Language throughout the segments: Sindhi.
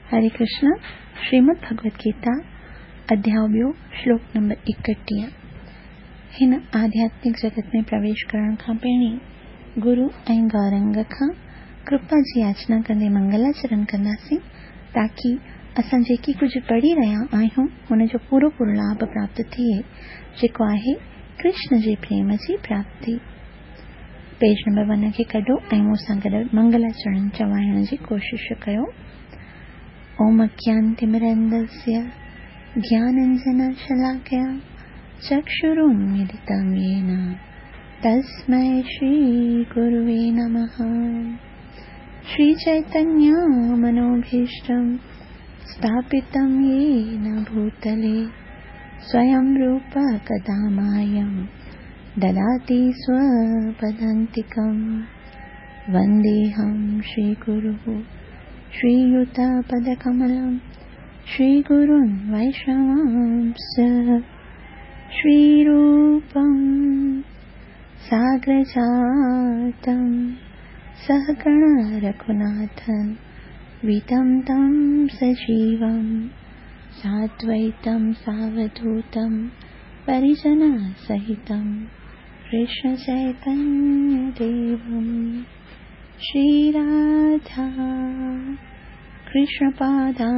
हरे कृष्ण, श्रीमद् भगवत गीता अध्याय ॿियो, श्लोक नंबर 31। हिन आध्यात्मिक जगत में प्रवेश करण खां पहिरीं गुरु ऐं गौरंग खां कृपा जी याचना कंदे मंगलाचरण कंदासीं, ताकी असां जेकी कुझु पढ़ी रहिया आहियूं हुनजो पूरो पूरो लाभ प्राप्त थिए, जेको आहे कृष्ण जे प्रेम जी प्राप्ति। पेज नंबर 1 खे कढो ऐं मूंसां गॾु मंगलाचरण चवाइण जी कोशिश कयो। ओम अज्ञानतिमिरन्दस्य ज्ञानाञ्जनशलाकया चक्षुरुन्मीलितं येन तस्मै श्रीगुरुवे नमः। श्रीचैतन्यमनोभीष्टं स्थापितं येन भूतले स्वयं रूप कदा मायं ददाति स्वपदान्तिकं। वन्देऽहं श्रीगुरुः श्रीयुतपदकमलं श्रीगुरुन् वैष्णवांश्च। श्रीरूपं साग्रजातं सहगण रघुनाथं वितं तं सजीवं साद्वैतं सावधूतं परिजनसहितं कृष्णचैतन्यदेवं। श्रीराधा कृष्णपादा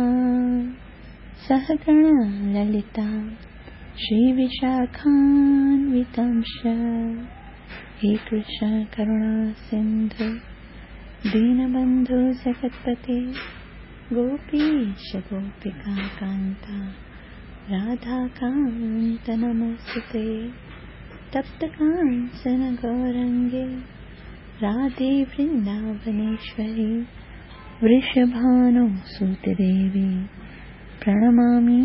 सहगण ललिता श्रीविशाखान्वितंश। हे कृष्ण करुणा सिन्धु दीनबन्धु जगत्पते गोपीश गोपिका कान्ता राधाकान्त नमस्ते। तप्त काञ्चन गौरङ्गे राधे वृन्दावनेश्वरी वृषभानुसुते देवी प्रणमामि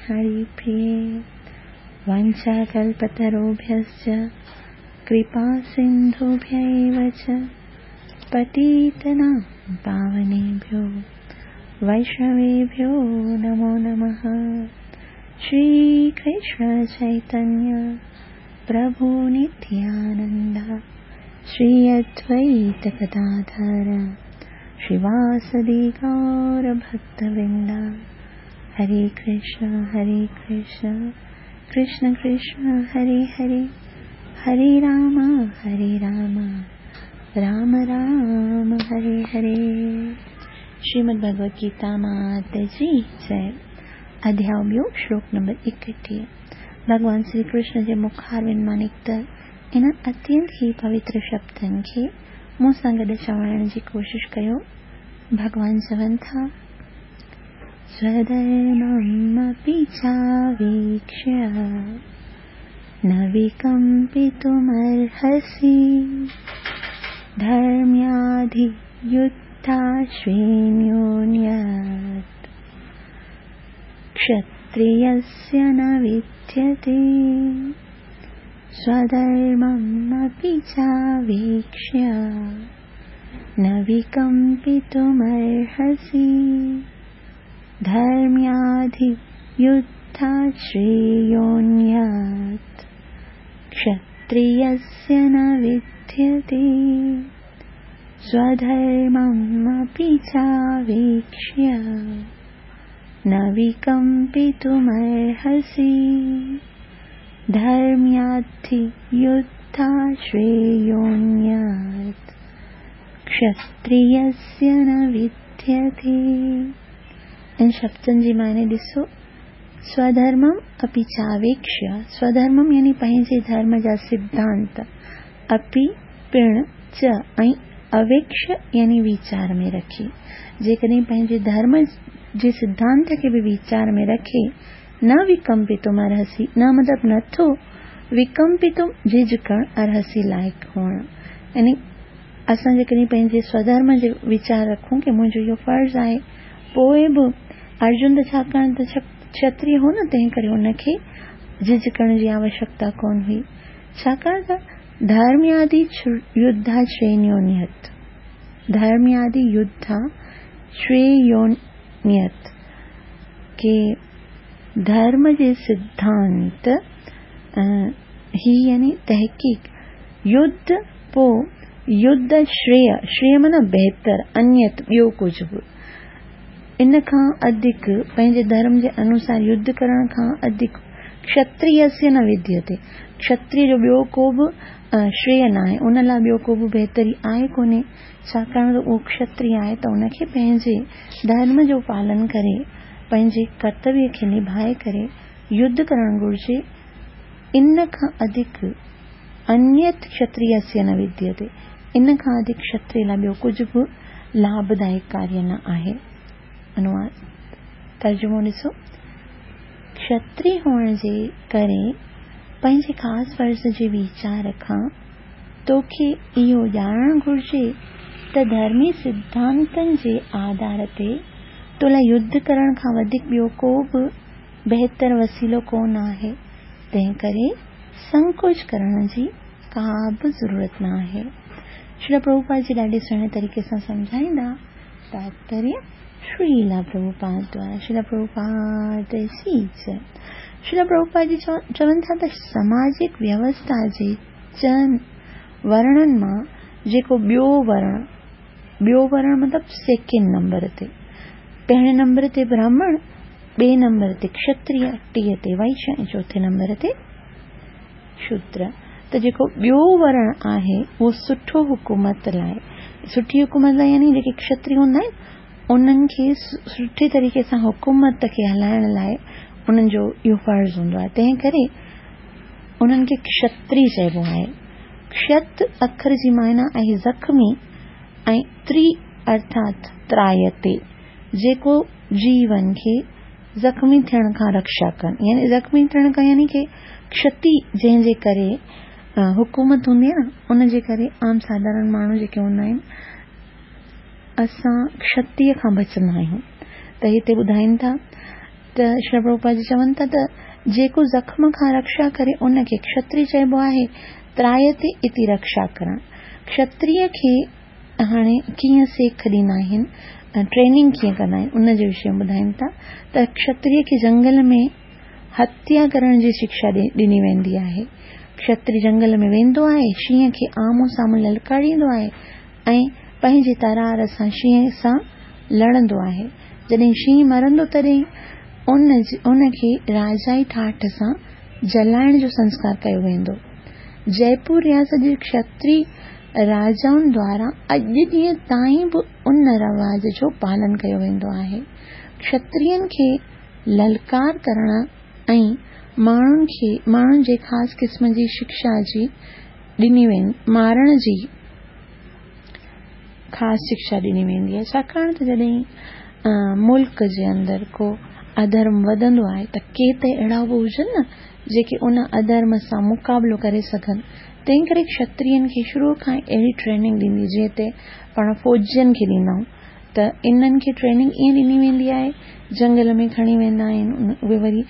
हरिप्रिये। वाञ्छाकल्पतरुभ्यश्च कृपासिन्धुभ्यैव च पतितानां पावनेभ्यो वैष्णवेभ्यो नमो नमः। श्रीकृष्ण चैतन्य प्रभु नित्यानन्द श्री अद्वैत गदाधर श्रीवासदि गौरभक्तवृन्द। हरे कृष्ण कृष्ण कृष्ण हरे हरे, हरे राम राम राम हरे हरे। श्रीमद् भगवत गीता मात जी जय। अध्याय ॿियो, श्लोक नंबर 31। भॻवान श्री कृष्ण जे मुखारविंद मां निकितल इन्हनि अत्यंत ई पवित्र शब्दनि खे मूंसां गॾु चवाइण जी कोशिश कयो। भॻवान चवनि था, स्वधर्ममपि चावीक्ष्य न विकम्पितुमर्हसि, धर्म्याधियुद्धाश्रेण्योऽन्यत् क्षत्रियस्य न विद्यते। स्वधर्ममपि चावीक्ष्य न विकम्पितुमर्हसि, धर्म्याधियुद्धाश्रेयोऽन्यत् क्षत्रियस्य न विद्यते। स्वधर्ममपि चावीक्ष्य न विकम्पितुमर्हसि, धर्म्याधियुद्धाश्रेयोऽन्यत् क्षत्रियस्य न विद्यते। इन शब्दनि जी माने ॾिसो, स्वधर्मम् अपि चावेक्ष्य, स्वधर्मम् यानी पंहिंजे धर्म जा सिद्धांत, अपि पिण च ऐं अवेक्ष्य यानी वीचार में रखी। जेकॾहिं पंहिंजे धर्म जे सिद्धांत खे बि वीचार में रखे न विकम्पितुम अर्हसि, न मतिलबु नथो विकम्पितुम झिझ करणु, अर्हसि लाइक़ हुअणु। यानी असां जेकॾहिं पंहिंजे स्वधर्म जो वीचार रखूं की मुंहिंजो इहो फ़र्ज़ आहे, पोइ बि अर्जुन त छाकाणि त क्षत्रिय हो न, तंहिं करे हुनखे झिझ करण जी आवश्यकता कोन हुई। छाकाणि त धर्म्यादि युद्धा श्रेण्योन्यत, धर्म्यादि युद्धा श्रेयोन्यत के धर्म जे सिद्धांत ही यानी तहक़ीक़, युद्ध पोइ युद्ध श्रेय, श्रेय माना बहितर, अन्यत ॿियो कुझु बि, ان کان اڌڪ پنهنجي ڌرم جي انوسار يڌ ڪرڻ کان اڌڪ ڪشتريسيه نه وديتي، ڪشتري جو ٻيو ڪو به شريه ناهي، ان لاء ٻيو ڪو به بهتري آهي ڪونهي، ڇاڪاڻ ته اهو ڪشتري آهي ته ان کي پنهنجي ڌرم جو پالن ڪري پنهنجي ڪرتويه کي نڀائي ڪري يڌ ڪرڻ گهرجي، ان کان اڌڪ انيت ڪشتريسيه نه وديتي، ان کان اڌڪ ڪشتري لاء ٻيو ڪجهه به لاڀدائڪ ڪاريه نه آهي. انواد، ترجمو ڏسو، کشتري هئڻ جي ڪري پنهنجي خاص فرض جي ويچار کان توکي اهو ڄاڻڻ گهرجي ته ڌرمي سڌانتن جي آڌار تي تو لاء يڌ ڪرڻ کان وڌيڪ ٻيو ڪو به بهتر وسيلو ڪو نه آهي، تنهنڪري سنڪوچ ڪرڻ جي ڪا به ضرورت نه آهي. شريلا پرڀوپاد جي ڏاڍي سهڻي طريقي سان سمجهائيندا. تاتپريه، شريلا پرڀوپاد دوارا شريلا پرڀوپاد جي جئه. شريلا پرڀوپاد جي چون ٿا ته سماجڪ ويوسٿا جي چئن ورڻن مان جيڪو ٻيو ورڻ، ٻيو ورڻ مطلب سيڪنڊ نمبر تي، پهرين نمبر تي براهمڻ، ٻئي نمبر تي کشتريه، ٽئين تي وئشيه ۽ چوٿين نمبر تي شودر. ته جيڪو ٻيو ورڻ آهي اهو سٺو حڪومت لاء، سٺي حڪومت لاء يعني جيڪي کشتري هوندا آهن انهن کي سٺي طريقي سان حڪومت کي هلائڻ لاء انهن جو اهو فرض هوندو آهي تنهن ڪري انهن کي کشتري چئبو آهي. کشت اکر جي معنيٰ آهي زخمي ۽ تري ارٿات ترايتي جيڪو جيون کي زخمي ٿيڻ کان رڪشا ڪن يعني زخمي ٿيڻ کان يعني ڪي ڪشتي جنهن جي ڪري حڪومت هوندي آهي نه ان جي ڪري عام ساڌارڻ ماڻهو جيڪي هوندا آهن اسان ڪشتيء کان بچندا آهيون ته هتي ٻڌائين ٿا ته شريلا پرڀوپاد جي چون ٿا ته جيڪو زخم کان رڪشا ڪري ان کي ڪشتري چئبو آهي ترايتي اتي رڪشا ڪرڻ ڪشتريء کي هاڻي ڪيئن سيک ڏيندا آهن ۽ ٽريننگ ڪيئن ڪندا آهن ان جي وشي ۾ ٻڌائين ٿا ته کشتري کي جنگل ۾ هتيا ڪرڻ جي شڪشا ڏني ويندي آهي. کشتري جنگل ۾ ويندو آهي، شينهن کي آمهون سامهون للڪاريندو آهي ۽ پنهنجي ترار سان شينهن سان لڙندو آهي. جڏهن شينهن مرندو تڏهن ان کي راجائي ٺاٺ سان جلائڻ جو سنسڪار ڪيو ويندو. جئپور رياست جي کشتري راجائن دواران اڄ ڏينهن تائين به ان رواج جو پالن ڪيو ويندو آهي. کشترين کي للڪار ڪرڻ ۽ ماڻهن کي ماڻهن جي خاص قسم جي شڪشا جي ڏني مارڻ جي خاص شڪشا ڏني ويندي آهي ڇاڪاڻ ته جڏهن ملڪ جي اندر ڪو اڌرم وڌندو آهي ته ڪي ته اهڙا به هجن نه جيڪي ان اڌرم سان مقابلو ڪري سگهن تنهن ڪري کشترين کي شروع کان ئي اهڙي ٽريننگ ڏيندي جيئن هتي پاڻ فوجين کي ڏيندا آهيون ته انهن کي ٽريننگ ائين ڏني ويندي آهي جنگل ۾ کڻي ويندا آهن اهي وري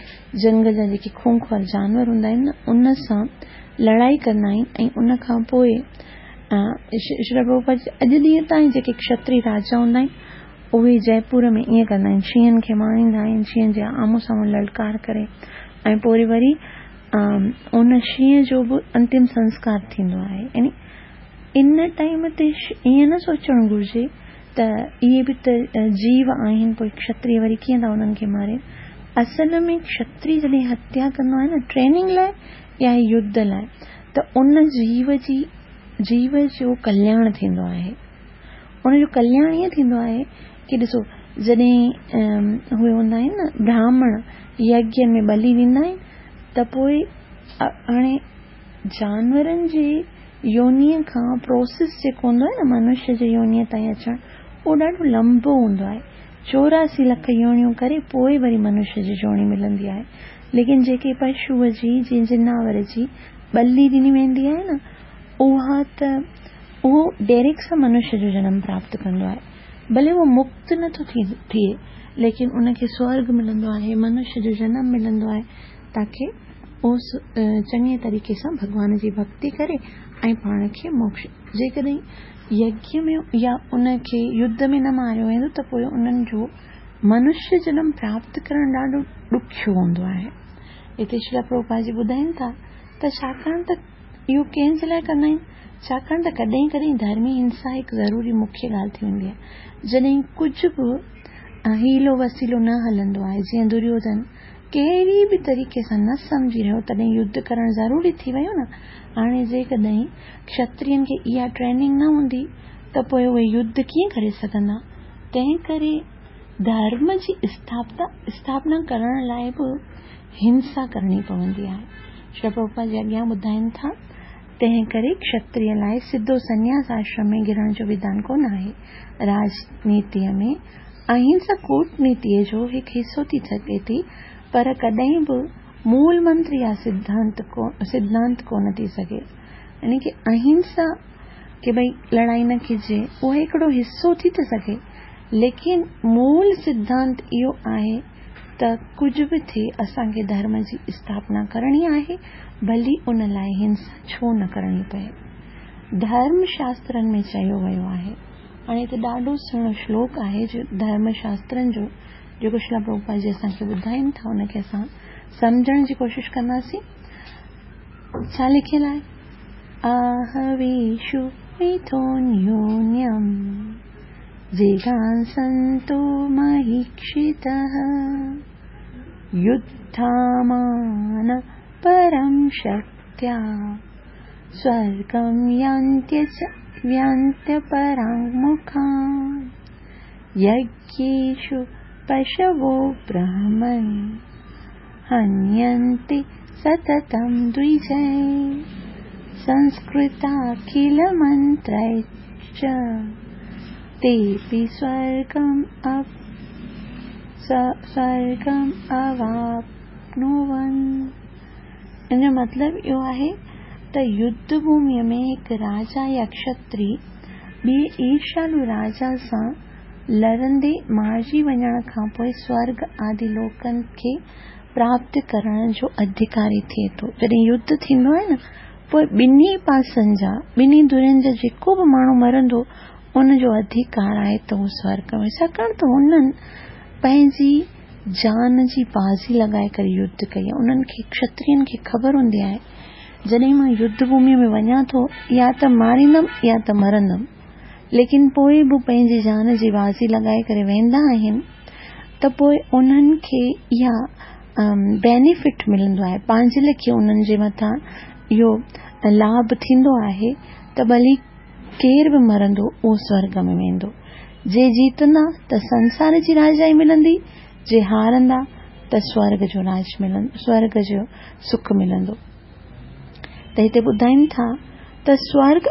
جنگل جا جيڪي خونخوار جانور هوندا آهن نه ان سان لڙائي ڪندا آهن ۽ ان کان پوء شريلا پرڀوپاد اڄ ڏينهن تائين جيڪي کشتري راجا هوندا آهن اهي جئپور ۾ ائين ڪندا آهن شينهن کي ماريندا آهن شينهن جي آمهون سامهون للڪار ڪري ۽ پوء وري ان شينهن جو به انتم سنسڪار ٿيندو آهي يعني ان ٽائيم تي ائين نه سوچڻ گهرجي ته اهي به ته جيو آهن پوء کشتري وري ڪيئن ٿا انهن کي مارين اصل ۾ کشتري جڏهن هتيا ڪندو آهي نه ٽريننگ لاء يا يڌ لاء ته ان جيو جي جيو جو ڪلياڻ ٿيندو آهي ان جو ڪلياڻ ائين ٿيندو آهي ڪي ڏسو جڏهن اهي هوندا آهن نه براهمڻ يگيه ۾ ٻلي ڏيندا آهن ته پوء هاڻي جانورن جي يونيء کان پروسيس جيڪو هوندو آهي نه منشيه جي يونيء تائين اچڻ اهو ڏاڍو لمبو هوندو آهي 84 لک يونيون ڪري پوء وري منشيه جي جوڻي ملندي آهي ليڪن جيڪي پشوء جي جي جناور جي ٻلي ڏني ويندي آهي نه اها ته اهو ڊائريڪٽ سان منشيه جو جنم پراپت ڪندو آهي ڀلي اهو مڪت نه ٿو ٿئي ليڪن ان کي سورگ ملندو آهي منشيه جو جنم ملندو آهي تاڪه اهو چڱي طريقي سان ڀڳوان جي ڀڳتي ڪري ۽ پاڻ کي موڪش جيڪڏهن يگيه ۾ يا ان کي يڌ ۾ نه ماريو ويندو ته پوء انهن جو منشيه جنم پراپت ڪرڻ ڏاڍو ڏکيو هوندو آهي. هتي شريلا پرڀوپاد جي ٻڌائين ٿا ته ڇاڪاڻ ته اهو ڪنهن جي لاء ڪندا آهن؟ ڇاڪاڻ ته ڪڏهن ڪڏهن ڌرمي هنسا هڪ ضروري مکيه ڳالهه ٿي ويندي آهي. جڏهن ڪجهه به حيلو وسيلو نه هلندو آهي. جيئن دريوڌن ڪهڙي به طريقي سان نه سمجهي رهيو تڏهن يڌ ڪرڻ ضروري ٿي ويو نه. هاڻي جيڪڏهن ڪشترين کي اها ٽريننگ نه هوندي ته پوء اهي يڌ ڪيئن ڪري سگهندا؟ تنهن ڪري ڌرم جي اسٿاپنا ڪرڻ لاء به هنسا ڪرڻي پوندي آهي. شريل پرڀوپاد جي اڳيان ٻڌائين ٿا، تنهن ڪري ڪشتريه لاء سڌو سنياس آشرم ۾ گهرڻ جو وڌان ڪونه آهي. راڄنيتيء ۾ اهنسا ڪوٽنيتيء جو هڪ حصو ٿي سگهي ٿي، پر ڪڏهن به مول منتر يا سڌانت ڪونه ٿي سگهي. يعني ڪه اهنسا ڪه ڀئي لڙائي نه ڪجي، اهو هڪڙو حصو ٿي ٿو سگهي، ليڪن مول سڌانت اهو آهي ته ڪجهه به ٿئي اسان کي ڌرم جي اسٿاپنا ڪرڻي آهي، ڀلي ان لاء هنسا ڇو نه ڪرڻي پئي. ڌرم شاسترن ۾ چيو ويو آهي. هاڻي هتي ڏاڍو سهڻو شلوڪ آهي جو ڌرم شاسترن جو جيڪو شريل پرڀوپاد جي اسان کي ٻڌائين ٿا ان کي اسان سمجهڻ جي ڪوشش ڪنداسين. ڇا لکيل آهي؟ آهويشو ميٿونيونيم جيگانسنتو مهيڪشتः يڌامان پرم شڪتيا سورگم يانتيپراङ्مکا يگيشو پشوو برهمن هنينتي ستتم دوجي سنسڪرتاکل منتريچ تيپي سورگم سورگم اواپنون. ان جو مطلب اهو آهي ته يڌ ڀوميء ۾ هڪ راجا يا ڪشتري ٻئي ايرشالو راجا سان لڙندي مارجي وڃڻ کان پوء سورڳ آدي لوڪن کي پراپت ڪرڻ جو اڌڪاري ٿئي ٿو. جڏهن يڌ ٿيندو آهي نه پوء ٻنهي پاسن جا، ٻنهي ڌرين جا جيڪو به ماڻهو مرندو ان جو اڌڪار آهي ته هو سورڳ ۾ ڇاڪاڻ ته هنن پنهنجي جان جي بازي لڳائي ڪري يڌ ڪئي آهي. انهن کي ڪشترين کي خبر هوندي آهي جڏهن مان يڌ ڀوميء ۾ وڃان ٿو يا ته ماريندم يا ته مرندم. ليڪن پوء به پنهنجي جان جي بازي لڳائي ڪري ويندا آهن ته پوء انهن کي اها بينيفٽ ملندو آهي پنهنجي ليکي انهن جي مٿان اهو لاڀ ٿيندو آهي ته ڀلي ڪير به مرندو اهو سورڳ ۾ ويندو. جي جيتندا ته سنسار جي راجائي ملندي، جي هارندا ته سورڳ جو راج ملندو، سورڳ جو سک ملندو. ته هتي ٻڌائين ٿا ته سورڳ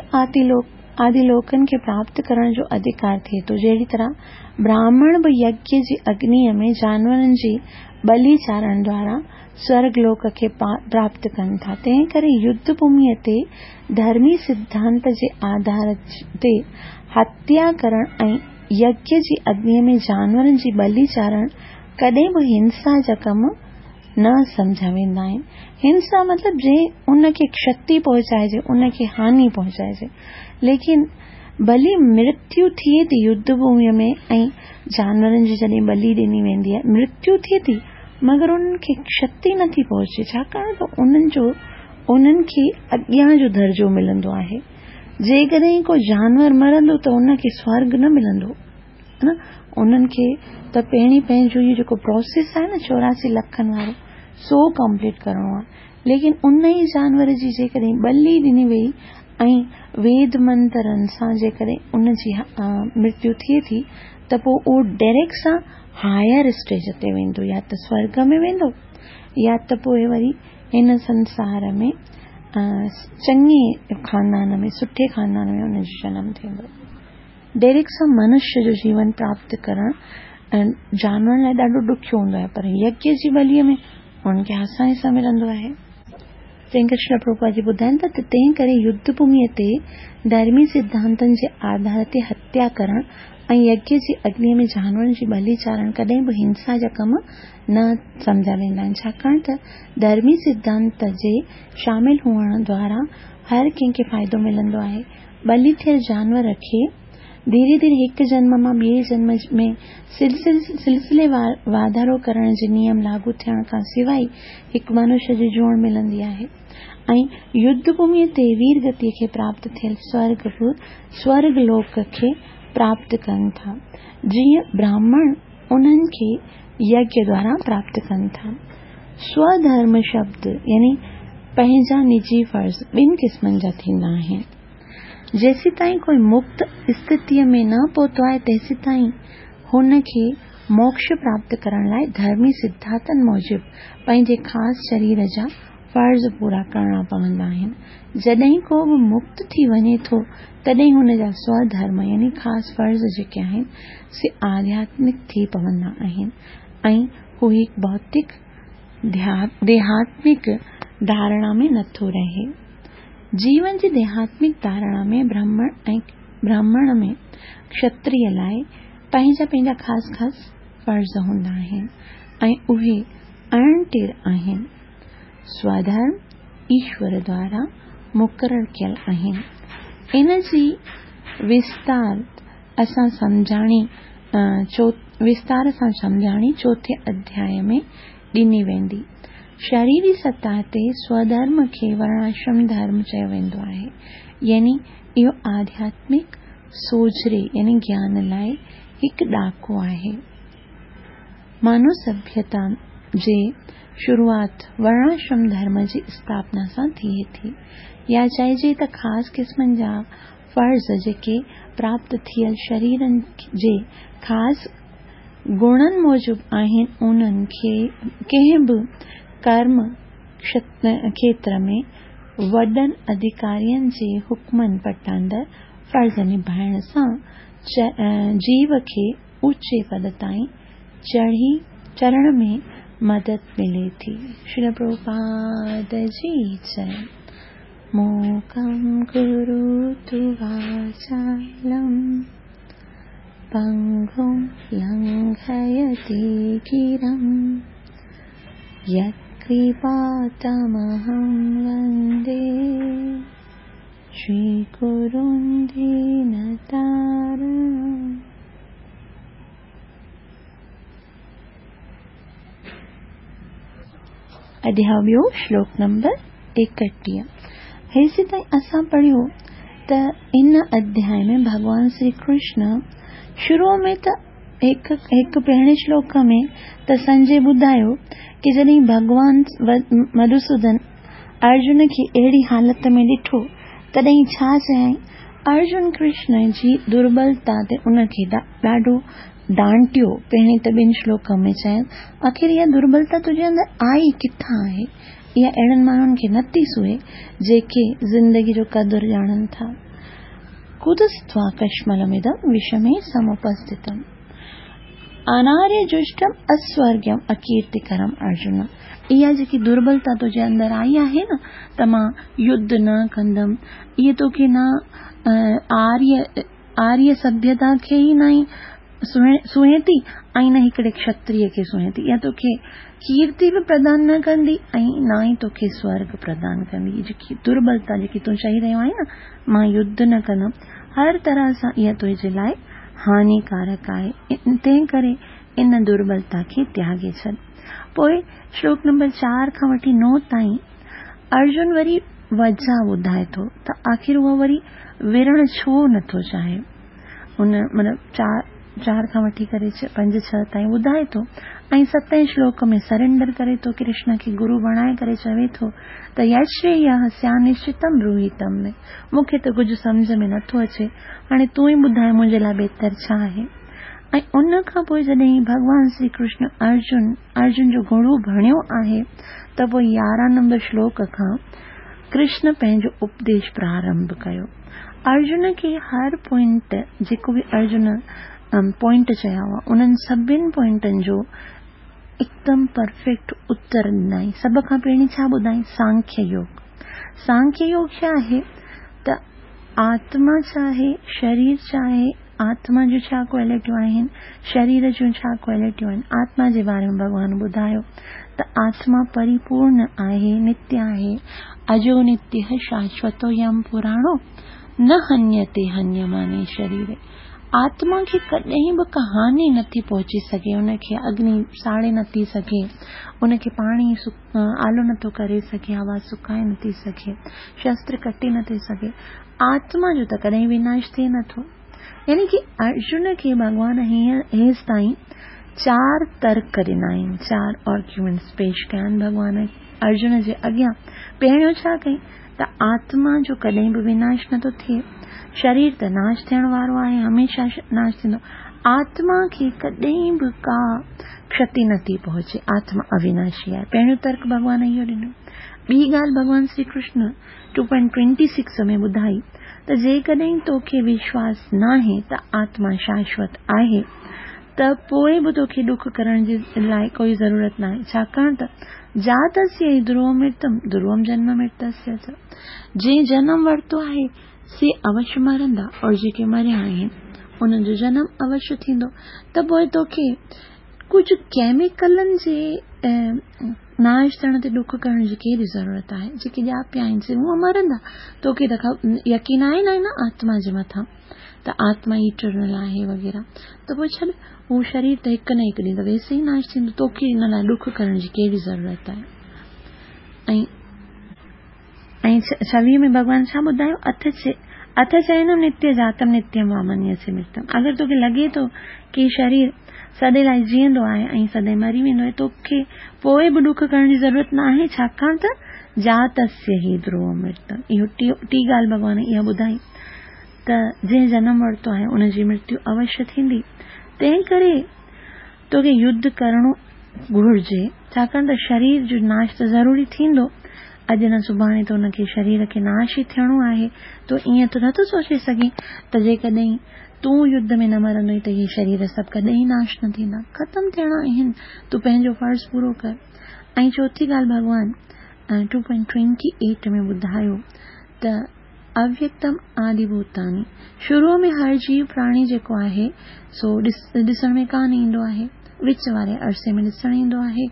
آدي لوڪن کي پراپت ڪرڻ جو اڌڪار ٿئي ٿو. جهڙي طرح براهمڻ به يگيه جي اگنيء ۾ جانورن جي ٻلي چاڙهڻ دوارا سورڳ لوڪ کي پراپت ڪن ٿا، تنهن ڪري يڌ ڀوميء تي ڌرمي سڌانت جي آڌار تي هتيا ڪرڻ ۽ يگيه جي اگنيء ۾ جانورن جي ٻلي چاڙهڻ ڪڏهن به هنسا جا ڪم نه سمجهيا ويندا آهن. هنسا مطلب جنهن ان کي ڪشتي پهچائجي، ان کي هاني پهچائجي. ليڪن ڀلي مرتيو ٿئي ٿي يڌ ڀوميء ۾ ۽ جانورن جي جڏهن ٻلي ڏني ويندي آهي، مرتيو ٿئي ٿي مگر انهن کي ڪشتي نٿي پهچي، ڇاڪاڻ ته انهن جو انهن کي اڳيان جو درجو ملندو آهي. جيڪڏهن ڪو جانور مرندو ته ان کي سورڳ نه ملندو. نه انهن کي ته پهرين پنهنجو اهو جيڪو پروسيس آهي نه 84 لکن وارو سو ڪمپليٽ ڪرڻو آهي. ليڪن ان ئي جانور جي جيڪڏهن ٻلي ڏني وئي ۽ ويد منترن سان جيڪڏهن ان جي مرتيو ٿئي ٿي ته پوء اهو ڊائريڪٽ سان هائر اسٽيج تي ويندو، يا ته سورڳ ۾ ويندو يا ته پوء وري هن سنسار ۾ چڱي خاندان ۾ سٺي خاندان ۾ ان جو جنم ٿيندو. ڊائريڪٽ سان منشيه جو جيون پراپت ڪرڻ جانورن لاء ڏاڍو ڏکيو هوندو آهي، پر يگيه جي ٻليء ۾ انهن کي آساني سان ملندو آهي. تنهن ڪري شريل پرڀوپاد جي ٻڌائين ٿا ته تنهن ڪري يڌ ڀوميء تي ڌرمي سڌانتن جي آڌار تي هتيا ڪرڻ ۽ يگيه جي اگنيء ۾ جانورن جي ٻلي چاڙهڻ ڪڏهن به هنسا جا ڪم نه سمجهيا ويندا آهن، ڇاڪاڻ ته ڌرمي سڌانت جي شامل هئڻ دوارا هر ڪنهن کي فائدو ملندو آهي. ٻلي ٿيل جانور کي ڌيري ڌيري هڪ جنم مان ٻئي جنم ۾ سلسليوار واڌارو ڪرڻ جي نيم لاڳو ٿيڻ کان سواء هڪ منشيه جي جوڻ ملندي آهي ۽ يڌ ڀوميء تي وير گتيء کي پراپت ٿيل سورڳ به سورڳ لوڪ کي پراپت ڪن ٿا. جيئن براهمڻ انهن کي يگيه دوارا پراپت ڪن ٿا. سوڌرم شبد يعني پنهنجا نجي فرض ٻن قسمن جا ٿيندا آهن. جيسيتائين ڪوئي مڪت اسٿتيء ۾ نه پهتو آهي، تيسيتائين هن کي موڪش پراپت ڪرڻ لاء ڌرمي سڌانتن موجب پنهنجي خاص شرير جا فرض پورا ڪرڻا پوندا آهن. جڏهن ڪو به مڪت ٿي وڃي ٿو، تڏهن هن جا سوڌرم يعني خاص فرض جيڪي آهن، سي آڌياتمڪ ٿي پوندا آهن ۽ هو هڪ ڀوتڪ ديهاتمڪ ڌارڻا ۾ نٿو رهي. جيون جي ديهاتمڪ ڌارڻا ۾ برهمڻ ۽ براهمڻ ۾ کشتريه لاء پنهنجا پنهنجا خاص خاص فرض هوندا آهن ۽ اهي اڻٽر آهن. سوڌرم ايشور دوارا مقرر ڪيل آهن. ان جي وستار اسان سمجهاڻي وستار سان سمجهاڻي چوٿين اڌياء ۾ ڏني ويندي. شريري سطح تي سوڌرم کي ورڻاشرم ڌرم چيو ويندو آهي، يعني اهو آڌياتمڪ سوجهري يعني گيان لاء هڪ ڏاڪو آهي. مانو سڀيتا جي شروعات ورڻاشرم ڌرم جي اسٿاپنا سان ٿئي ٿي، يا چئجي ته خاص قسمن جا فرض جيڪي پراپت ٿيل شريرن جي خاص گڻن موجب آهن، انهن کي ڪنهن به ڪرم کيتر ۾ وڏن اڌڪارين جي حڪمن پٽاندر فرض نڀائڻ سان جيو کي اوچي پد تائين چڙهي چڙهڻ ۾ مدد ملي ٿي. شريل پرڀوپاد جي جئي. موڪم ڪروتو واچالم پنگم لنگهيتي گرم يتڪرپا تمهم وندي شري گرم دينتارڻم. اڌياء ٻيو شلوڪ نمبر 31. هيسيتائين اسان پڙهيو ته ان اڌياء ۾ ڀڳوان شري ڪرشن شروع ۾ ته هڪ هڪ پهرين شلوڪ ۾ ته سنجي ٻڌايو ڪي جڏهن ڀڳوان مڌوسودن ارجن کي اهڙي حالت ۾ ڏٺو تڏهن ڇا چيائين؟ ارجن ڪرشن جي دربلتا تي ان کي ڏاڍو ڊانٽيو، پهرين ته ٻن شلوڪن ۾ چين، آخر اها دربلتا تنهنجي اندر آئي ڪٿان آهي؟ اها اهڙن ماڻهن کي نٿي سونهي، جيڪي زندگي جو قدر ڄاڻن ٿا. ڪتستوا ڪشملمدم وشمي سمپسٿتم اناريه جشٽم اسورگيم اڪيرتيڪرم ارجن، اها جيڪي دربلتا تنهنجي اندر آئي آهي نه ته مان يڌ نه ڪندم، اهي توکي نه آريه آريه سڀيتا کي ئي نه سونهين ٿي ۽ نه هڪڙي کشتريه کي سونهين ٿي. اها توکي ڪيرتي به پردان نه ڪندي ۽ نه ئي توکي سورڳ پردان ڪندي. هي جيڪي دربلتا جيڪي تون چئي رهيو آهين نه مان يڌ نه ڪندم، هر طرح سان اها تنهنجي لاء هانيڪارڪ آهي، تنهن ڪري ان دربلتا کي تياڳي ڇڏ. پوء شلوڪ نمبر 4 کان وٺي 9 تائين ارجن وري وجهه ٻڌائي ٿو ته آخر هو وري وڙهڻ ڇو نٿو چاهي. ان مطلب 4 کان وٺي ڪري 5 6 تائين ٻڌائي ٿو ۽ ستين شلوڪ ۾ سرينڊر ڪري ٿو، ڪرشن کي گرو بڻائي ڪري چوي ٿو ته يشرييه سيانشچتم بروهي تم ۾، مون کي ته ڪجهه سمجهه ۾ نٿو اچي، هاڻي تون ئي ٻڌاء منهنجي لاء بهتر ڇا آهي. ۽ ان کان پوء جڏهن ڀڳوان شري ڪرشن ارجن ارجن جو گرو بڻيو آهي ته پوء 11 نمبر شلوڪ کان ڪرشن پنهنجو اپديش پرارنڀ ڪيو. ارجن کي هر پوائنٽ جيڪو به ارجن پوائنٽ چيا هئا انهن سڀن پوائنٽن جو هڪدم پرفيڪٽ اتر ڏنائين. سڀ کان پهرين ڇا ٻڌائين؟ سانکيه يوگ. سانکيه يوگ ڇا آهي ته آتما ڇا آهي، شرير ڇا آهي، آتما جون ڇا ڪوالٽيون آهن، شرير جون ڇا ڪوالٽيون آهن، آتما جي باري ۾ ڀڳوان ٻڌايو ته آتما پريپورڻ آهي، نتيه آهي، اجو نتيه شاشوتو يم پراڻو نه هنيتي هنيماني شريري. آتما کي ڪڏهن به ڪا هاني نٿي پهچي سگهي، ان کي اگني ساڙي نٿي سگهي، ان کي پاڻي آلو نٿو ڪري سگهي، هوا سڪائي نٿي سگهي، شستر ڪٽي نٿي سگهي، آتما جو ته ڪڏهن وناش ٿئي نٿو. يعني ڪي ارجن کي ڀڳوان هيستائين चारि तर्क ॾिना आहिनि, चारि आर्ग्यूमेंट्स पेश कया आहिनि भॻवान अर्जुन जे अॻियां। पहिरियों छा कई त आत्मा जो कॾहिं बि विनाश नथो थिए, शरीर त नाश थियण वारो आहे, हमेशा नाश थींदो, आत्मा खे कॾहिं बि का क्षति नथी पहुचे, आत्मा अविनाशी आहे। पहिरियों तर्क भॻवान इहो ॾिनो। ॿी ॻाल्हि भॻवान श्री कृष्ण 2.26 में ॿुधाई त जेकॾहिं तोखे विश्वास नाहे त आत्मा शाश्वत आहे त पोइ बि तोखे ॾुख करण जे लाइ कोई ज़रूरत नाहे, छाकाणि त जातस्य हि ध्रुवम मृतम ध्रुवम जन्म मृतस्य च, जंहिं जनम वरितो आहे से अवश्य मरंदा और जेके मरिया आहिनि उन्हनि जो जनम अवश्य थींदो। त पोइ तोखे कुझु केमिकलनि जे नाश थियण ते ॾुख करण जी कहिड़ी ज़रूरत आहे? जेके ॼापिया आहिनि से हूअं मरंदा, तोखे त यकीन आहे न आत्मा जे मथां त आत्मा इटर्नल आहे वग़ैरह, त पोइ छॾ, हू शरीर त हिकु न हिकु ॾींहुं त वैसे ई नाश थींदो, तोखे हिन लाइ ॾुख करण जी कहिड़ी ज़रूरत आहे? ऐं 26 में भॻवान छा ॿुधायो? अथ चैनम नित्य जातम नित्यम वा मन्यसे मृतम। अगरि तोखे लॻे थो की शरीर सॾे लाइ जीअंदो आहे ऐं सॾे मरी वेंदो आहे, तोखे पोइ बि ॾुख करण जी ज़रूरत न आहे, छाकाणि त जातस्य हि ध्रुवम मृतम। इहो टी ॻाल्हि भॻवान इहा ॿुधाई त जंहिं जनम वरितो आहे उनजी मृत्यु अवश्य थींदी, तंहिं करे तोखे युद्ध करणो घुर्जे, छाकाणि त शरीर जो नाश त ज़रूरी थींदो, अॼु न सुभाणे त उनखे शरीर खे नाश ई थियणो आहे। तो ईअं त नथो सोचे सघे त जेकॾहिं तूं युद्ध में न मरंदो त इहे शरीर सभु कॾहिं नाश न थींदा, ख़तमु थियणा आहिनि, तूं पंहिंजो फ़र्ज़ पूरो कर। ऐं चौथी ॻाल्हि भॻवान 2.28 में ॿुधायो त अव्यक्तम आदिभूतानि, शुरू में हर जीव प्राणी जेको आहे सो ॾिसण में कान ईंदो आहे, विच वारे अरसे में ॾिसण ईंदो आहे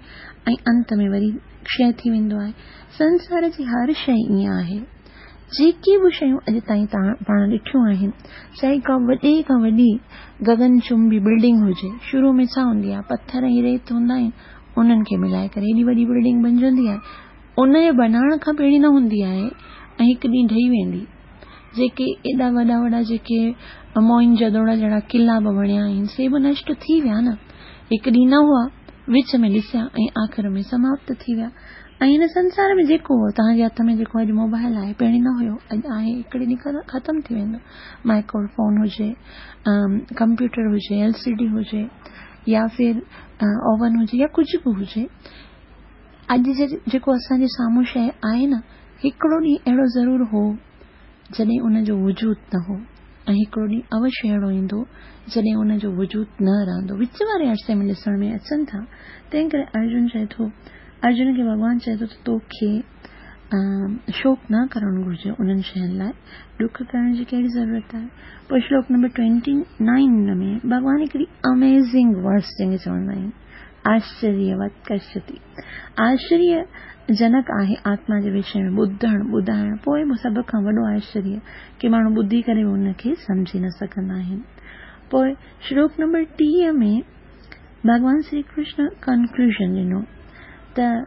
ऐं अंत में वरी क्षय थी वेंदो आहे। संसार जी हर शइ ईअं आहे, जेके बि शयूं अॼु ताईं तव्हां पाण ॾिठियूं आहिनि, चाहे का वॾे खां वॾी गगनचुंबी बिल्डिंग हुजे, शुरू में छा हूंदी आहे, पथर ऐं रेत हूंदा आहिनि, उन्हनि खे मिलाए करे एॾी वॾी बिल्डिंग बणिजंदी आहे, उनजे बणाइण खां पहिरीं न हूंदी आहे ऐं हिकु ॾींहुं ढही वेंदी। जेके एॾा वॾा वॾा जेके मोइन जदोड़ा जहिड़ा किला बि बणिया आहिनि से बि नष्ट थी विया न, हिकु ॾींहुं न हुआ, विच में ॾिसिया ऐं आख़िर में समाप्त थी विया। ऐं हिन संसार में जेको तव्हांजे हथ में जेको अॼु मोबाइल आहे, पहिरीं न हुयो, अॼु आहे, हिकिड़े ॾींहुं ख़तमु थी वेंदो। माइक्रोफोन हुजे, कंप्यूटर हुजे, एलसीडी हुजे, या फिर ओवन हुजे, या कुझु बि हुजे, अॼु जेको असांजे साम्हूं शइ आहे न, हिकिड़ो ॾींहुं अहिड़ो ज़रूरु हो जॾहिं उनजो वजूद न हो, ऐं हिकिड़ो ॾींहुं अवश्य अहिड़ो ईंदो जॾहिं उनजो वजूद न रहंदो। विच वारे अरसे में ॾिसण में अचनि था। तंहिं करे अर्जुन चए थो, अर्जुन खे भॻवान चए थो त तोखे शोक न करणु घुरिजे, उन्हनि शयुनि लाइ ॾुख करण जी कहिड़ी ज़रूरत आहे। पोइ श्लोक नंबर 29 में भॻवान हिकिड़ी अमेज़िंग वर्स जंहिंखे चवंदा आहिनि, आश्चर्यवत कश्यति, आश्चर्य जनक आहे आत्मा जे विषय में ॿुधणु ॿुधाइणु, पोइ बि सभ खां वॾो आश्चर्य की माण्हू ॿुधी करे बि उनखे सम्झी न सघंदा आहिनि। पोइ श्लोक नंबर 30 में भॻवान श्री कृष्ण कंक्लूजन ॾिनो त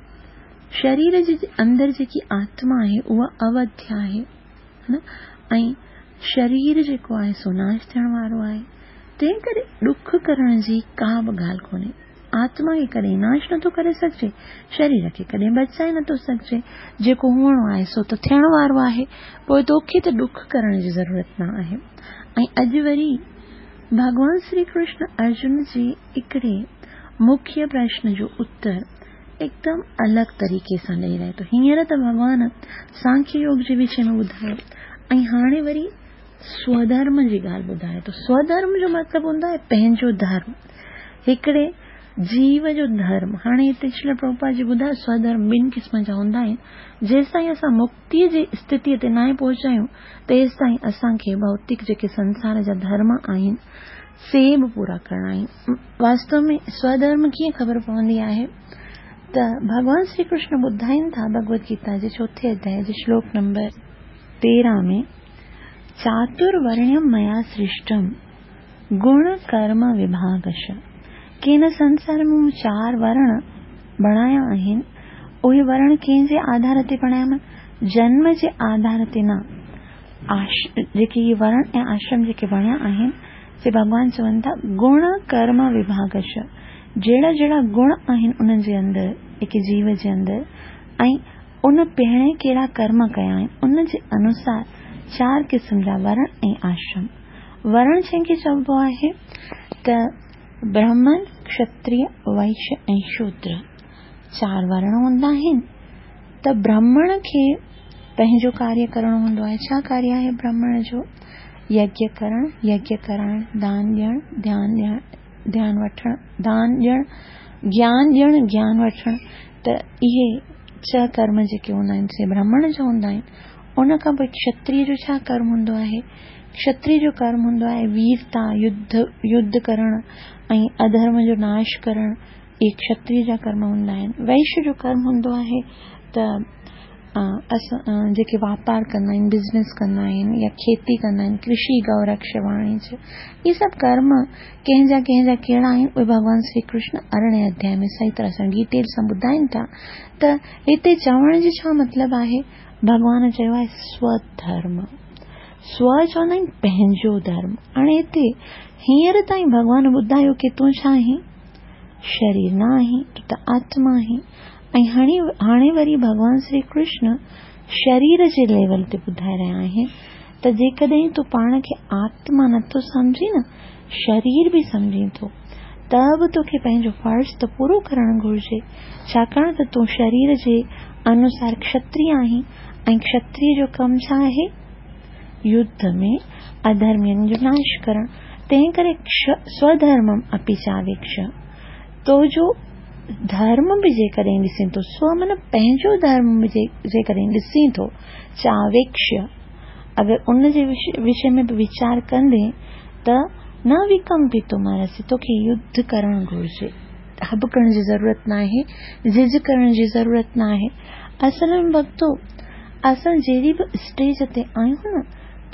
शरीर जे अंदरि जेकी आत्मा आहे उहा अवध्य आहे न, ऐं शरीर जेको आहे सो नाश थियण वारो आहे, तंहिं करे ॾुख करण जी का बि ॻाल्हि कोन्हे। आत्मा खे कॾहिं नाश नथो करे सघिजे, शरीर खे कॾहिं बचाए नथो सघिजे, जेको हुअणो आहे सो त थियण वारो आहे, पोइ तोखे त ॾुख करण जी ज़रूरत न आहे। ऐं अॼु वरी भॻवान श्री कृष्ण अर्जुन जे हिकिड़े मुख्य प्रश्न जो उत्तर एकदम अलॻि तरीक़े सां ॾेई रहे थो। हींअर त भॻवान सांख्य योग जे विषय में ॿुधायो ऐं हाणे वरी स्वधर्म जी ॻाल्हि ॿुधाए थो। स्वधर्म जो मतिलबु हूंदो आहे पंहिंजो धर्म, हिकिड़े जीव जो धर्म। हाणे हिते श्रील प्रभुपाद जी ॿुधायो स्वधर्म ॿिनि क़िस्म जा हूंदा आहिनि। जेसिताईं असां मुक्तीअ जी स्थितीअ ते न पहुचा आहियूं तेसिताईं असांखे भौतिक जेके संसार जा धर्म आहिनि से बि पूरा करणा आहिनि। वास्तव में स्वधर्म कीअं ख़बर पवंदी आहे त भॻवान श्री कृष्ण ॿुधाइनि था भगवद गीता जे चोथे अध्याय जे श्लोक नंबर 13 में, चातुर्वर्ण्यम मया सृष्टम गुण कर्म विभागश। की हिन संसार में मूं चार वर्ण बणाया आहिनि, उहे वर्ण कंहिंजे आधार ते बणाया? जन्म जे आधार ते न। जेके इहे वर्ण ऐं आश्रम जेके बणिया आहिनि से भॻवान चवनि था गुण कर्म विभागश, جهڙا جهڙا گڻ آهن انهن جي اندر، هڪ جيو جي اندر ۽ ان پهرين ڪهڙا ڪرم ڪيا آهن، ان جي انوسار چار قسم جا ورڻ ۽ آشرم. ورڻ جنهن کي چئبو آهي ته برهمڻ، کشتريه، وئشيه ۽ شودر چار ورڻ هوندا آهن ته برهمڻ کي پنهنجو ڪاريه ڪرڻو هوندو آهي. ڇا ڪاريه آهي برهمڻ جو؟ يگيه ڪرڻ، يگيه ڪرائڻ، دان ڏيڻ، ڌيان ڏيڻ، ڌيان وٺڻ، دان ڏيڻ، گيان ڏيڻ، گيان وٺڻ ته اهي ڇهه ڪرم جيڪي هوندا آهن سي برهمڻ جا هوندا آهن. ان کان پوء کشتريه جو ڇا ڪرم هوندو آهي؟ کشتريه جو ڪرم هوندو آهي ويرتا، يڌ، يڌ ڪرڻ ۽ اڌرم جو ناش ڪرڻ، اهي کشتريه جا ڪرم هوندا آهن. وئشيه جو ڪرم هوندو آهي ته اسان جيڪي واپار ڪندا آهن، بزنس ڪندا آهن يا کيتي ڪندا آهن، ڪرشي، گئو رڪش، واڻج، اهي سڀ ڪرم ڪنهن جا ڪنهن جا ڪهڙا آهن، اهي ڀڳوان شري ڪرشن ارڙهين اڌيائي ۾ صحيح طرح سان ڊيٽيل سان ٻڌائين ٿا ته هتي چوڻ جو ڇا مطلب آهي؟ ڀڳوان چيو آهي سوڌرم. سو چوندا آهن پنهنجو ڌرم. هاڻي هتي هينئر تائين ڀڳوان ٻڌايو ڪي تون ڇا آهين؟ شرير نه آهين، تون ته آتما آهين. ۽ هاڻي هاڻي وري ڀڳوان شري ڪرشن شرير جي ليول تي ٻڌائي رهيا آهن ته جيڪڏهن تون پاڻ کي آتما نٿو سمجهين نه، شرير به سمجهين ٿو ته به توکي پنهنجو فرض ته پورو ڪرڻ گهرجي، ڇاڪاڻ ته تون شرير جي انوسار کشتري آهين ۽ کشتري جو ڪم ڇا آهي؟ يڌ ۾ اڌرمين جو ناش ڪرڻ، تنهن ڪري سوڌرمم اپي چاويڪش، تو جو ڌرم به جيڪڏهن ڏسين ٿو، سو معنيٰ پنهنجو ڌرم به جيڪڏهن ڏسين ٿو، چاويڪش، اگر ان جي وشي ۾ به ويچار ڪندين ته نه وڪمپتمرهسي، توکي يڌ ڪرڻ گهرجي، هٻڪڻ جي ضرورت ناهي، جهجهه ڪرڻ جي ضرورت ناهي. اصل ۾ ڀڳتو، اسان جهڙي به اسٽيج تي آهيون نه،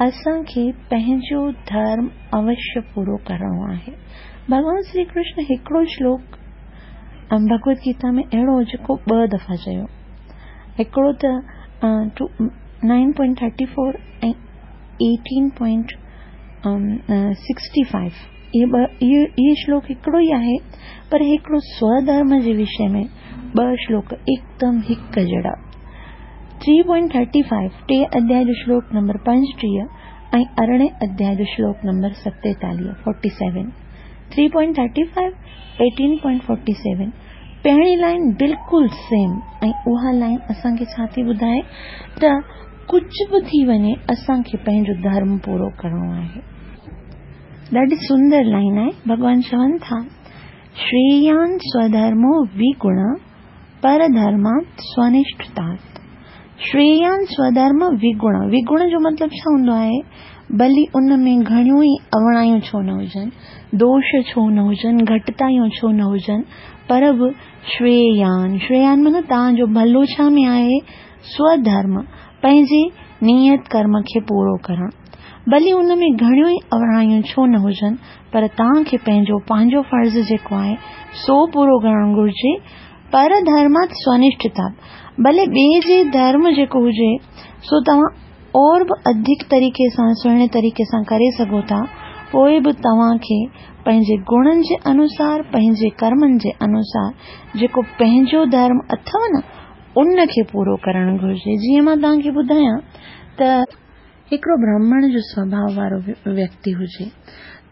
اسان کي پنهنجو ڌرم اوشيه پورو ڪرڻو آهي. ڀڳوان شري ڪرشن هڪڙو شلوڪ ڀڳوت گيتا ۾ اهڙو جيڪو ٻه دفعا چيو. هڪڙو ته 9.34 ۽ 18.65 اهي ٻه اهي شلوڪ هڪڙو ئي آهي پر هڪڙو سوڌرم جي وشي ۾ ٻه شلوڪ هڪدم هڪ جهڙا. 3.35 ٽي اڌياء جو شلوڪ نمبر 35 ۽ ارڙهين اڌياء جو شلوڪ نمبر 47، 47. 3.35 18.47 پهرين لائين بلڪل سيم ۽ اها لائين اسان کي ڇا ٿي ٻڌائي ته ڪجهه به ٿي وڃي اسان کي پنهنجو ڌرم پورو ڪرڻو آهي. ڏاڍي سندر لائين آهي ڀڳوان چون ٿا شريان سوڌرمو وگڻ پرڌرمات سونشٺتات شريان سوڌرم وگڻ وگڻ جو مطلب ڇا هوندو آهي ڀلي ان ۾ گهڻيون ئي اوڻايون ڇو نه هجن، دوش ڇو نه هجن، گهٽتايون ڇو نه هجن، پر به شريان، شريان معنيٰ توهان جو ڀلو ڇا ۾ آهي؟ سوڌرم، پنهنجي نيت ڪرم کي پورو ڪرڻ. ڀلي ان ۾ گهڻيون ئي اوڻايون ڇو نه هجن، پر توهان کي پنهنجو پنهنجو فرض جيڪو آهي، سو پورو ڪرڻ گهرجي. پر ڌرمات سونشٺتا، ڀلي ٻئي جي ڌرم جيڪو هجي، سو توهان اور به اڌڪ طريقي سان سهڻي طريقي سان ڪري سگهو ٿا، پوء به توهان کي پنهنجي گڻن جي انوسار، پنهنجي ڪرمن جي انوسار جيڪو پنهنجو ڌرم اٿو نه، ان کي پورو ڪرڻ گهرجي. جيئن مان توهان کي ٻڌايان ته هڪڙو برهمڻ جو سوڀاء وارو ويڪتي هجي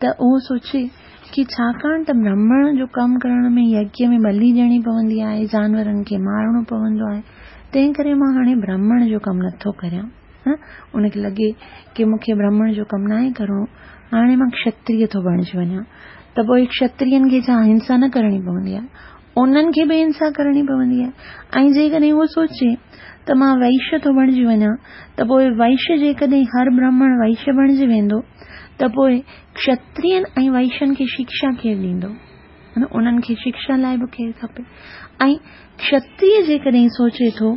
ته اهو سوچي ڪي ڇاڪاڻ ته برهمڻ جو ڪم ڪرڻ ۾ يگيه ۾ ٻلي ڏيڻي پوندي آهي، جانورن کي مارڻو پوندو آهي، تنهن ڪري مان هاڻي برهمڻ جو ڪم نٿو ڪريان. ان کي لڳي ڪي مون کي برهمڻ جو ڪم ناهي ڪرڻو، هاڻي مان کشتريه ٿو بڻجي وڃان. ته پوء کشترين کي ڇا هنسا نه ڪرڻي پوندي آهي؟ انهن کي به هنسا ڪرڻي پوندي آهي. ۽ جيڪڏهن اهو سوچي ته مان وئشيه ٿو بڻجي وڃان ته پوء وئشيه جيڪڏهن هر برهمڻ وئشيه بڻجي ويندو ته پوء کشترين ۽ وئشين کي شڪشا ڪير ڏيندو؟ انهن کي شڪشا لاء به ڪير کپي؟ ۽ کشتريه جيڪڏهن سوچي ٿو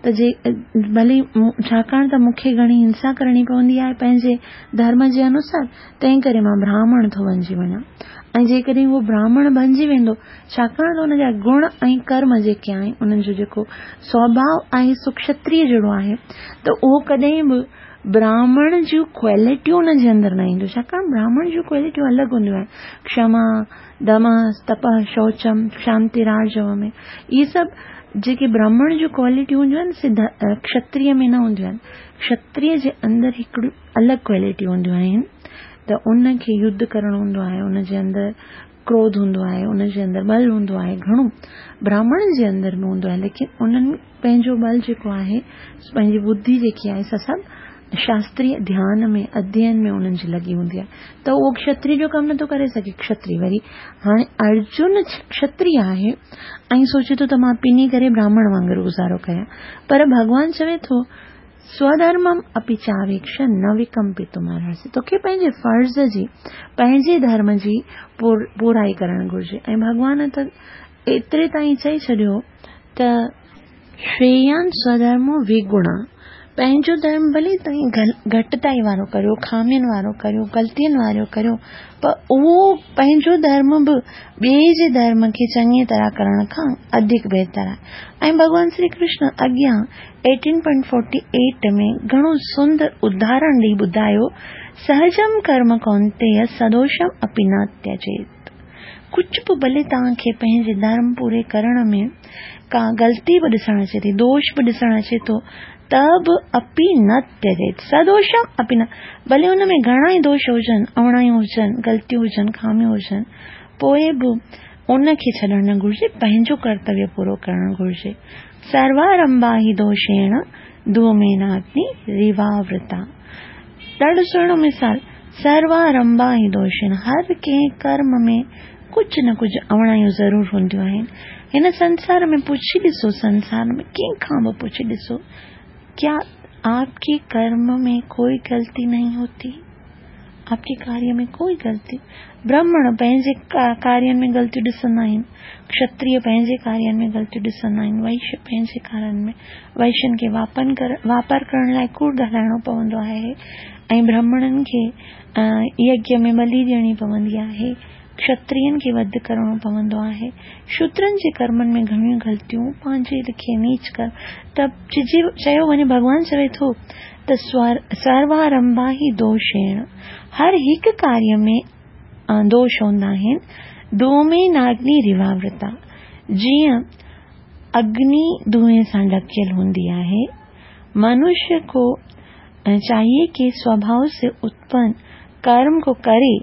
ته جي ڀلي ڇاڪاڻ ته مون کي گهڻي هنسا ڪرڻي پوندي آهي پنهنجي ڌرم جي انوسار تنهن ڪري مان براهمڻ ٿو بنجي وڃان ۽ جيڪڏهن اهو براهمڻ بنجي ويندو ڇاڪاڻ ته ان جا گڻ ۽ ڪرم جيڪي آهن انهن جو جيڪو سوڀاء آهي سو کشتريه جهڙو آهي ته اهو ڪڏهن به براهمڻ جون ڪوالٽيون ان جي اندر نه اينديون، ڇاڪاڻ براهمڻ جون ڪوالٽيون الڳ هونديون آهن، ڪشما، دم، تپ، شوچم، شانتي، راجو ۾ اهي سڀ جيڪي براهمڻ جون ڪوالٽيون هونديون آهن سي ڪشتريه ۾ نه هونديون آهن. ڪشتريه جي اندر هڪڙيون الڳ ڪوالٽيون هونديون آهن ته ان کي يڌ ڪرڻو هوندو آهي، ان جي اندر ڪروڌ هوندو آهي، ان جي اندر ٻل هوندو آهي، گهڻو براهمڻ جي اندر به هوندو آهي، ليڪن انهن پنهنجو ٻل جيڪو آهي، پنهنجي ٻڌي جيڪي آهي سا سڀ شاستري ڌيان ۾ اڌيين ۾ انهن جي لڳي هوندي آهي ته اهو ڪشتري جو ڪم نٿو ڪري سگهي. ڪشتري وري هاڻي ارجن ڪشتري آهي ۽ سوچي ٿو ته مان پني ڪري براهمڻ وانگر گذارو ڪيان، پر ڀڳوان چوي ٿو سوڌرمم اپي چاويڪش نه وڪمپتم ارهسي، توکي پنهنجي فرض جي، پنهنجي ڌرم جي پورائي ڪرڻ گهرجي. ۽ ڀڳوان ته ايتري تائين چئي ڇڏيو ته. شريان سوڌرمو وگڻا، پنهنجو ڌرم ڀلي توهين گهٽتائي وارو ڪريو، خامين وارو ڪريو، غلطين وارو ڪريو، پر اهو پنهنجو ڌرم به ٻئي جي ڌرم کي چڱيء طرح ڪرڻ کان اڌڪ بهتر آهي. ۽ ڀڳوان شري ڪرشن اڳيان 18.48 ۾ گهڻو سندر اداهرڻ ڏئي ٻڌايو، سهجم ڪرم ڪونتيه سدوشم اپي نه تيجيت. ڪجهه به ڀلي توهان کي پنهنجي ڌرم پوري ڪرڻ ۾ ڪا غلطي به ڏسڻ اچي ٿي، دوش به ڏسڻ اچي ٿو ته به اپي نه تيجيت، سدوشم اپي نه، ڀلي ان ۾ گهڻا ئي دوش هجن، اوڻايون هجن، غلطيون هجن، خاميون هجن، پوء به ان کي ڇڏڻ نه گهرجي، پنهنجو ڪرتويه پورو ڪرڻ گهرجي. سروارمبا هي دوشيڻ ڌوميناگني ريواورتا. ڏاڍو سهڻو مثال، سروارمبا هي دوشيڻ، هر ڪنهن ڪرم ۾ ڪجهه نه ڪجهه اوڻايون ضرور هونديون آهن. هن سنسار ۾ پڇي ڏسو، سنسار ۾ ڪنهن کان به پڇي ڏسو، ڪيا آپ ڪي ڪرم ۾ ڪوئي غلطي نهين هوتي؟ آپ ڪي ڪاريه ۾ ڪوئي غلطي؟ برهمڻ پنهنجي ڪارين ۾ غلطيون ڏسندا آهن، ڪشتريه پنهنجي ڪارين ۾ غلطيون ڏسندا آهن، وئش پنهنجي ڪارين ۾، وئشن کي واپار ڪرڻ لاء ڪوڙ ڳالهائڻو پوندو آهي ۽ برهمڻن کي يگيه ۾ ٻلي ڏيڻي پوندي آهي، ڪشترين کي وڌ ڪرڻو پوندو آهي. شودرن جي ڪرمن ۾ گهڻيون غلطيون، پنهنجي لکي نيچ ڪرم ته چيو وڃي ڀڳوان چوي ٿو ته سروارمبا هي دوشيڻ، هر هڪ ڪاريه ۾ دوش هوندا آهن، ڌوميناگني رواورتا، جيئن اگني دونهين سان ڍڪيل هوندي آهي، منشيه ڪو چاهيي ڪي سوڀاو سي اتپن ڪرم ڪو ڪري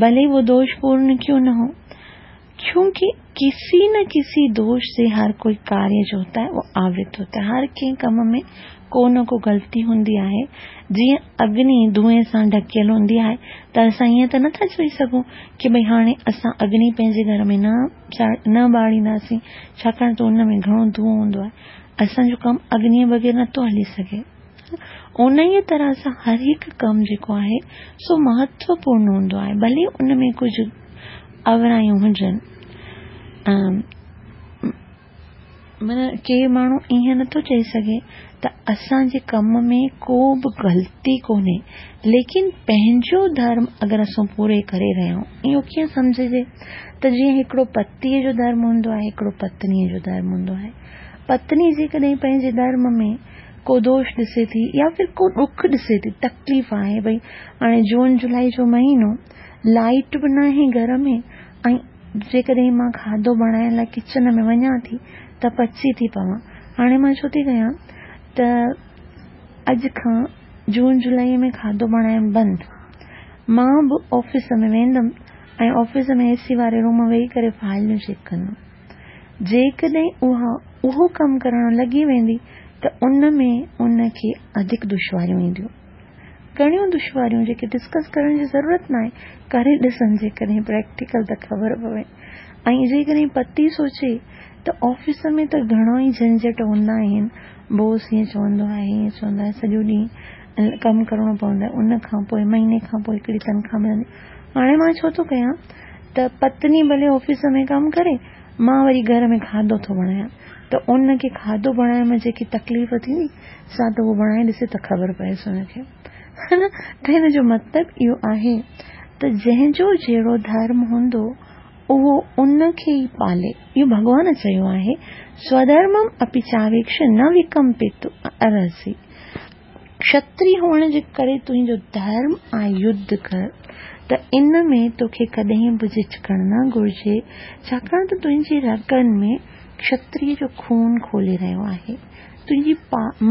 ڀلي وو دوش پورن ڪيون نه هو، ڪيونڪه ڪسي نه ڪسي دوش سي هر ڪوئي ڪاريه جو هوتا هي وو آورت هوتا هي، هر ڪنهن ڪم ۾ ڪو نه ڪو غلطي هوندي آهي، جيئن اگني دونهين سان ڍڪيل هوندي آهي ته اسان ائين ته نه ٿا چئي سگهون ڪي ڀئي هاڻي اسان اگني پنهنجي گهر ۾ نه نه ٻارينداسين ڇاڪاڻ ته ان ۾ گهڻو دونهون هوندو آهي، اسان جو ڪم اگنيء بغير نه ٿو هلي سگهي. انهيء طرح سان هر هڪ ڪم جيڪو آهي سو مهتوپورن هوندو آهي ڀلي ان ۾ ڪجهه اوڻايون هجن. معنيٰ ڪي ماڻهو ائين نٿو چئي سگهي ته اسان جي ڪم ۾ ڪو به غلطي ڪونهي ليڪن پنهنجو ڌرم اگر اسان پوري ڪري رهيا آهيون اهو ڪيئن سمجهجي ته جيئن هڪڙو پتيء جو ڌرم هوندو آهي هڪڙو پتنيء جو ڌرم هوندو آهي پتني جيڪڏهن پنهنجي ڌرم ۾ ڪو دوش ڏسي ٿي يا ڦر ڪو ڏک ڏسي ٿي تڪليف آهي ڀئي هاڻي جون جولاء جو مهينو لائيٽ به ناهي گهر ۾ ۽ جيڪڏهن مان کاڌو بڻائڻ لاء ڪچن ۾ وڃان ٿي ته پچي ٿي پوان هاڻي مان ڇو ٿي ڪيان ته اڄ کان جون جولاء ۾ کاڌو بڻائڻ بند مان به آفيس ۾ ويندم ۽ آفيس ۾ اي سي واري روم ۾ ويهي ڪري فائلون چيڪ ڪندم جيڪڏهن اها اهو ڪم ڪرڻ لڳي ويندي ته ان ۾ ان کي اڌڪ دشواريون اينديون. گهڻيون دشواريون جيڪي ڊسڪس ڪرڻ جي ضرورت ناهي، ڪري ڏسن جيڪڏهن پريڪٽيڪل ته خبر پوي. ۽ جيڪڏهن پتي سوچي ته آفيس ۾ ته گهڻا ئي جهنجهٽ هوندا آهن، بوس هيئن چوندو آهي هيئن چوندو آهي سڄو ڏينهن ڪم ڪرڻو پوندو آهي ان کان پوء مهيني کان پوء هڪڙي تنخواهه ملندي هاڻي مان ڇو ٿو ڪيان ته پتني ڀلي آفيس ۾ ڪم ڪري مان وري گهر ۾ کاڌو ٿو بڻايان ته ان کي کاڌو بڻائڻ ۾ جيڪي تڪليف ٿيندي سا ته هو بڻائي ڏسي ته خبر پئيس ان کي ها نه ته هن جو مطلب اهو آهي ته جنهن جو جهڙو ڌرم هوندو اهو ان کي ئي پالي اهو ڀڳوان چيو آهي سوڌرمم اپي چاويڪش نه وڪمپيتو ارهسي. کشتري هئڻ جي ڪري تنهنجو ڌرم آهي يڌ ڪر ته ان ۾ توکي ڪڏهن به جهجڪڻ نه گهرجي، ڇاڪاڻ ته تنهنجي رڳن ۾ کشتري جو خون کولي رهيو آهي. تنهنجي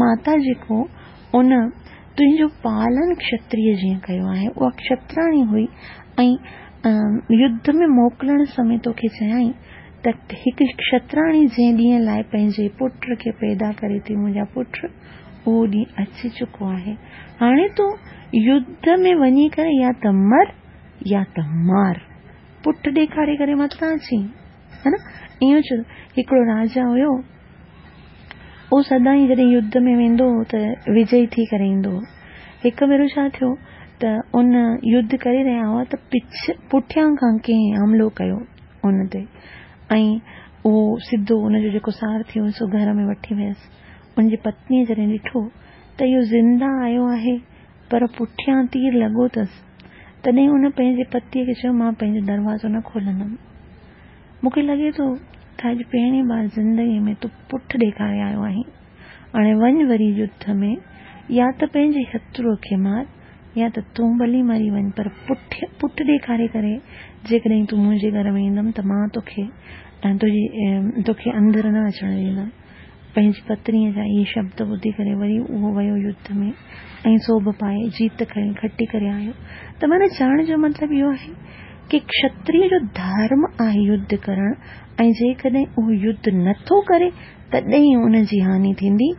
ماتا جيڪو ان تنهنجو پالن کشتري جيئن ڪيو آهي، اها کشتراڻي هئي ۽ يڌ ۾ موڪلڻ سمي توکي چيائين ته هڪ کشتراڻي جنهن ڏينهن لاء پنهنجي پٽ کي پيدا ڪري ٿي منهنجا پٽ اهو ڏينهن اچي چڪو آهي. هاڻي تون يڌ ۾ وڃي ڪري يا ته مر يا ته مار. پٺ ڏيکاري ڪري متان اچين. ها نه؟ ائين چيو. هڪڙو راجا هيو. اهو سدائين جڏهن يڌ ۾ ويندو هو ته وجئي ٿي ڪري ايندو هو. هڪ ڀيرو ڇا ٿيو ته ان يڌ ڪري رهيا هئا ته پڇ پٺيان کان ڪنهن حملو ڪيو ان تي ۽ اهو سڌو ان جو جيڪو سارٿي هو سو گهر ۾ وٺي ويس. ان جي پتنيء جڏهن ڏٺو ته اهو زنده آيو آهي پر پٺيان تير لڳو اٿس، تڏهن ان پنهنجي پتيء کي چيو، مان پنهنجو دروازو نه کولندم. مون کي لڳي ٿو ته اڄ پهرين بار زندگيء ۾ تون پٺ ڏيکاري آيو آهين. هاڻي وڃ وري يڌ ۾ يا ته پنهنجي شتروء کي مار يا ته تون ڀلي مري وڃ پر پٺ ڏيکاري ڪري جيڪڏهن تون منهنجي گهر ۾ ايندم ته مان توکي تنهنجي توکي اندر نه اچڻ ڏيندم. پنهنجي پتنيء جا اهي شبد ٻڌي ڪري وري اهو ويو يڌ ۾ ۽ سوڀ پائي جيت کڻي کٽي ڪري آيو ته معنيٰ چوڻ جو مطلب اهو آهي ڪي کشتري جو ڌرم آهي يڌ ڪرڻ ۽ جيڪڏهن اهو يڌ نه ٿو ڪري تڏهن ان جي هاني ٿيندي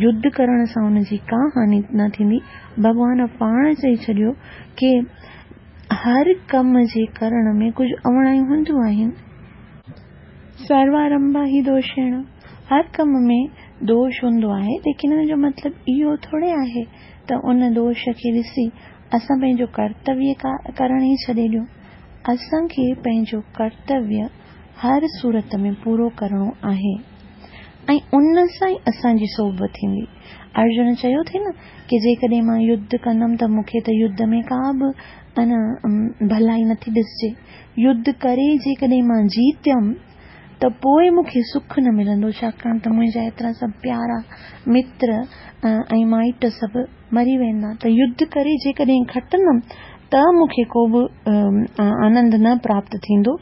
يڌ ڪرڻ سان ان جي ڪا هاني نه ٿيندي ڀڳوان پاڻ چئي ڇڏيو ڪي هر ڪم جي ڪرڻ ۾ ڪجهه اوڻايون هونديون آهن. سروارنڀا هي دوشيڻ، هر ڪم ۾ دوش هوندو آهي، ليڪن ان جو مطلب اهو ٿوري آهي ته ان دوش کي ڏسي اسان پنهنجو ڪرتويه ڪرڻ ئي ڇڏي ڏيون. اسان کي پنهنجو ڪرتويه هر صورت ۾ پورو ڪرڻو آهي ۽ ان سان ئي اسان جي سوڀ ٿيندي. ارجن چيو ٿي نه ڪي جيڪڏهن مان يڌ ڪندم ته مون کي ته يڌ ۾ ڪا به ڀلائي نٿي ڏسجي. يڌ ڪري جيڪڏهن مان جيتيم ته پوء مون کي سک نه ملندو، ڇاڪاڻ ته منهنجا ايترا سڀ پيارا متر ۽ مائٽ سڀ مري ويندا ته يڌ ڪري جيڪڏهن کٽندم ته مون کي ڪو به آنند نه پراپت ٿيندو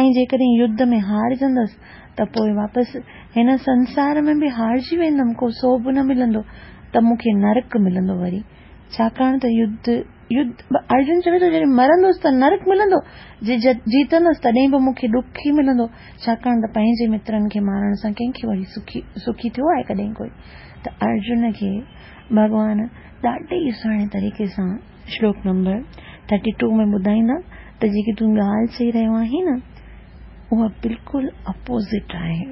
۽ جيڪڏهن يڌ ۾ هارجندس ته پوء واپس هن سنسار ۾ به هارجي ويندم، ڪو سوڀ نه ملندو ته مون کي نرڪ ملندو وري ڇاڪاڻ ته يڌ يڌ، ارجن چوي ٿو جڏهن مرندس ته نرڪ ملندو، جي جيتندس تڏهن به مون کي ڏک ئي ملندو، ڇاڪاڻ ته پنهنجي مترن کي مارڻ سان ڪنهن کي وري سکي سکي ٿيو آهي ڪڏهن ڪوئي؟ ته ارجن کي ڀڳوان ڏاڍي ئي سهڻي طريقي سان شلوڪ نمبر ٿرٽي ٽو ۾ ٻڌائيندا ته جيڪي تون ڳالهه چئي رهيو آهين نه اها بلڪل اپوزٽ آهي.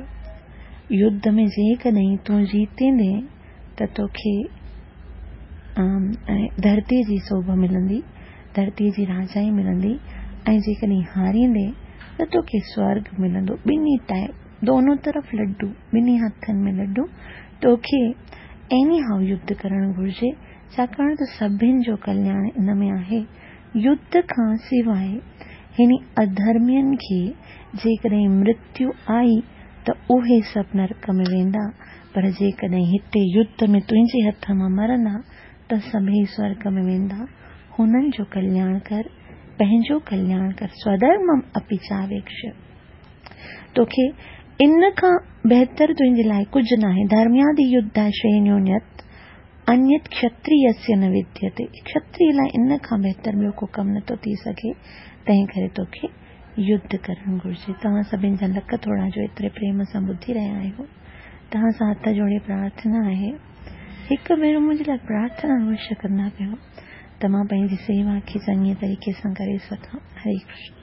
يڌ ۾ جيڪڏهن تون جيتيندين ته توکي ڌرتيء جي سوڀ ملندي، ڌرتيء جي راجائي ملندي ۽ جيڪڏهن هاريندين ته توکي سورڳ ملندو. ٻنهي ٽائيپ، دونون طرف لڊو، ٻنهي هٿن ۾ لڊو، توکي ايني هائو يڌ ڪرڻ گهرجي، ڇاڪاڻ ته سڀن جو ڪلياڻ ان ۾ آهي. يڌ کان سواء هن اڌرمين کي جيڪڏهن مرتيو آئي ته اهي سڀ نرڪ ۾ ويندا، پر جيڪڏهن هتي يڌ ۾ تنهنجي هٿ مان مرندا ته سڀيئي سورڳ ۾ ويندا. هنن جو ڪلياڻ ڪر، پنهنجو ڪلياڻ ڪر، سوڌرمم اپي چاويڪش. توکي ان کان بهتر تنهنجي لاء ڪجهه ناهي. ڌرميادي يڌا شريڻيونيت انيت کشتريسيه نه وديتي، کشتري لاء ان کان بهتر ٻيو ڪو ڪم نٿو ٿي سگهي، تنهن ڪري توکي يڌ ڪرڻ گهرجي. توهان سڀني جا لک ٿورا جو ايتري پريم سان ٻڌي رهيا آهيو. توهان سان هٿ جوڙي پرارٿنا آهي، هڪ ڀيرو منهنجي لاء پرارٿنا اوشيه ڪندا ڪيو ته مان پنهنجي سيوا کي چڱي طريقي سان ڪري سگهان. هري ڪرشن.